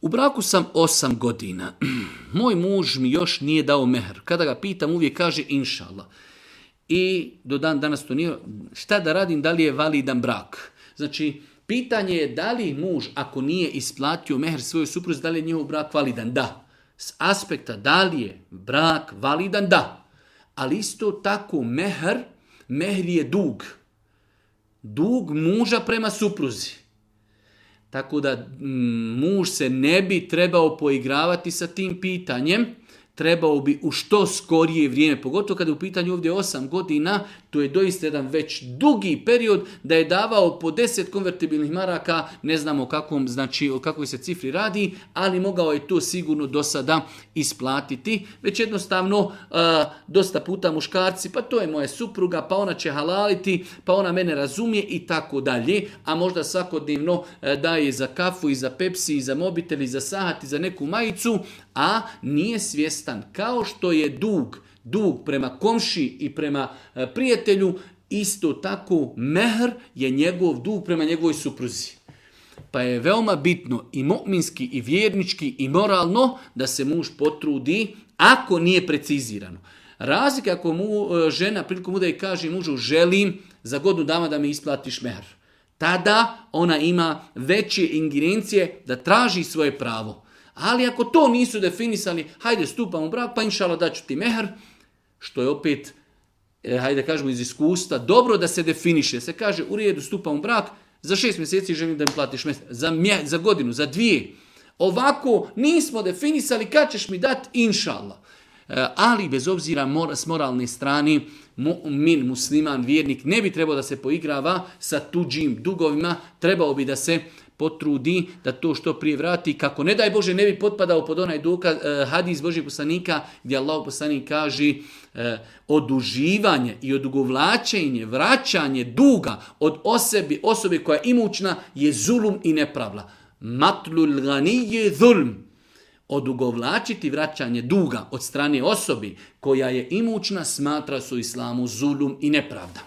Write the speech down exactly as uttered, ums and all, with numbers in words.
U braku sam osam godina. Moj muž mi još nije dao mehr. Kada ga pitam, uvijek kaže inšallah. I do dan danas to nije. Šta da radim, da li je validan brak? Znači, pitanje je da li muž, ako nije isplatio mehr svojoj supruzi, da li je njihov brak validan? Da. S aspekta da li je brak validan? Da. Ali isto tako mehr, mehr je dug. Dug muža prema supruzi. Tako da muž se ne bi trebao poigravati sa tim pitanjem, trebao bi u što skorije vrijeme, pogotovo kada je u pitanju ovdje osam godina, to je doista jedan već dugi period da je davao po deset konvertibilnih maraka, ne znamo o kakvom, znači o kakvoj se cifri radi, ali mogao je to sigurno do sada isplatiti. Već jednostavno a, dosta puta muškarci, pa to je moja supruga, pa ona će halaliti, pa ona mene razumije i tako dalje, a možda svakodnevno a, daje za kafu i za Pepsi i za mobitel i za sahat i za neku majicu, a nije svjestan kao što je dug, dug prema komši i prema prijatelju, isto tako mehr je njegov dug prema njegovoj supruzi. Pa je veoma bitno i mu'minski i vjernički i moralno da se muž potrudi ako nije precizirano. Razlika ako mu žena prilikom udaje kaže mužu želim za godinu dana da mi isplatiš mehr. Tada ona ima veće ingerencije da traži svoje pravo. Ali ako to nisu definisali, hajde stupam u brak, pa inšallah daću ti mehr, što je opet, hajde kažemo iz iskustva, dobro da se definiše. Se kaže u redu stupam u brak, za šest mjeseci želim da mi platiš mehr, za, mje, za godinu, za dvije. Ovako nismo definisali kad ćeš mi dati inšallah. Ali bez obzira mora, s moralne strane, mu'min, musliman, vjernik, ne bi trebao da se poigrava sa tuđim dugovima, trebao bi da se potrudi da to što prije vrati, kako ne daj Bože ne bi potpadao pod onaj dokaz, eh, hadis Božih poslanika gdje Allah poslanik kaže eh, oduživanje i odugovlačenje, vraćanje duga od osobe, osobe koja je imućna je zulum i nepravda. Matlul gani je zulm. Odugovlačiti vraćanje duga od strane osobi koja je imućna smatra se u islamu zulum i nepravda.